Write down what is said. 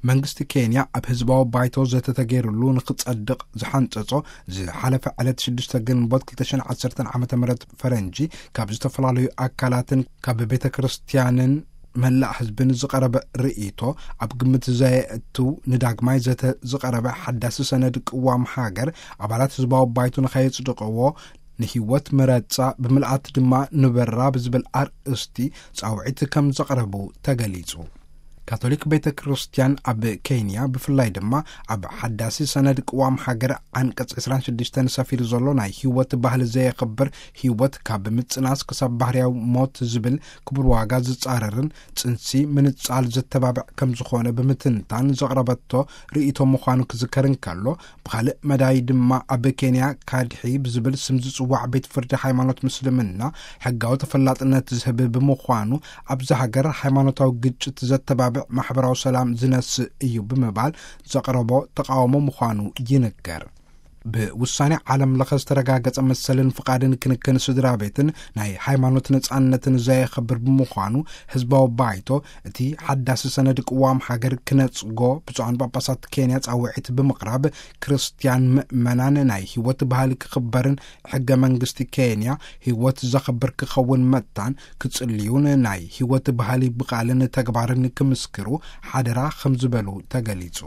መንግስቲ ኬንያ ኣብ ህዝባዊ ባይቶ ዘተተገይሩሉ ንክጸድቕ ዝሓንጸጾ፣ ዝሓለፈ ዕለት ሽዱሽተ ግንቦት ክልተ ሽሕን ዓሰርተን ዓመተ ምህረት ፈረንጂ፣ ካብ ዝተፈላለዩ ኣካላትን ካብ ቤተ ክርስቲያንን መላእ ህዝብን ዝቐረበ ርእይቶ ኣብ ግምት ዘየእትው፣ ንዳግማይ ዘተ ዝቐረበ ሓዳሲ ሰነድ ቅዋም ሃገር፣ ኣባላት ህዝባዊ ባይቶ ንኸየጽድቕዎ፣ ንህይወት ምረጻ ብምልኣት ድማ ንበራ ብዝብል ኣርእስቲ ጻውዒት ከም ዘቕረቡ ተገሊጹ። ካቶሊክ ቤተ ክርስቲያን ኣብ ኬንያ፣ ብፍላይ ድማ ኣብ ሓዳሲ ሰነድ ቅዋም ሃገር ዓንቀጽ ዕስራን ሽዱሽተን ሰፊሩ ዘሎ፣ ናይ ህይወት ባህሊ ዘየኽብር፣ ህይወት ካብ ምጽናስ ክሳብ ባህርያዊ ሞት ዝብል ክቡር ዋጋ ዝጻረርን ጽንሲ ምንጻል ዘተባብዕ ከም ዝኾነ ብምትንታን ዘቕረበቶ ርእይቶ ምዃኑ ክዝከር እንከሎ፣ ብኻልእ መዳይ ድማ ኣብ ኬንያ ካድሒ ብዝብል ስም ዝጽዋዕ ቤት ፍርዲ ሃይማኖት ምስልምና ሕጋዊ ተፈላጥነት ዝህብ ብምዃኑ፣ ኣብዚ ሃገር ሃይማኖታዊ ግጭት ዘተባብዕ፣ ማሕበራዊ ሰላም ዝነስእ እዩ ብምባል ዘቕረቦ ተቓውሞ ምዃኑ ይንገር። ብውሳኔ ዓለም ለኸ ዝተረጋገጸ መሰልን ፍቓድን ክንክን ስድራ ቤትን ናይ ሃይማኖት ነጻነትን ዘየኸብር ብምዃኑ፣ ህዝባዊ ባይቶ እቲ ሓዳሲ ሰነድ ቅዋም ሃገር ክነጽጎ ብፁዓን ጳጳሳት ኬንያ ጻውዒት ብምቕራብ፣ ክርስትያን ምእመናን ናይ ህይወት ባህሊ ክኽበርን ሕገ መንግስቲ ኬንያ ህይወት ዘኽብር ክኸውን መታን ክጽልዩን ናይ ህይወት ባህሊ ብቓልን ተግባርን ክምስክሩ ሓደራ ከም ዝበሉ ተገሊጹ።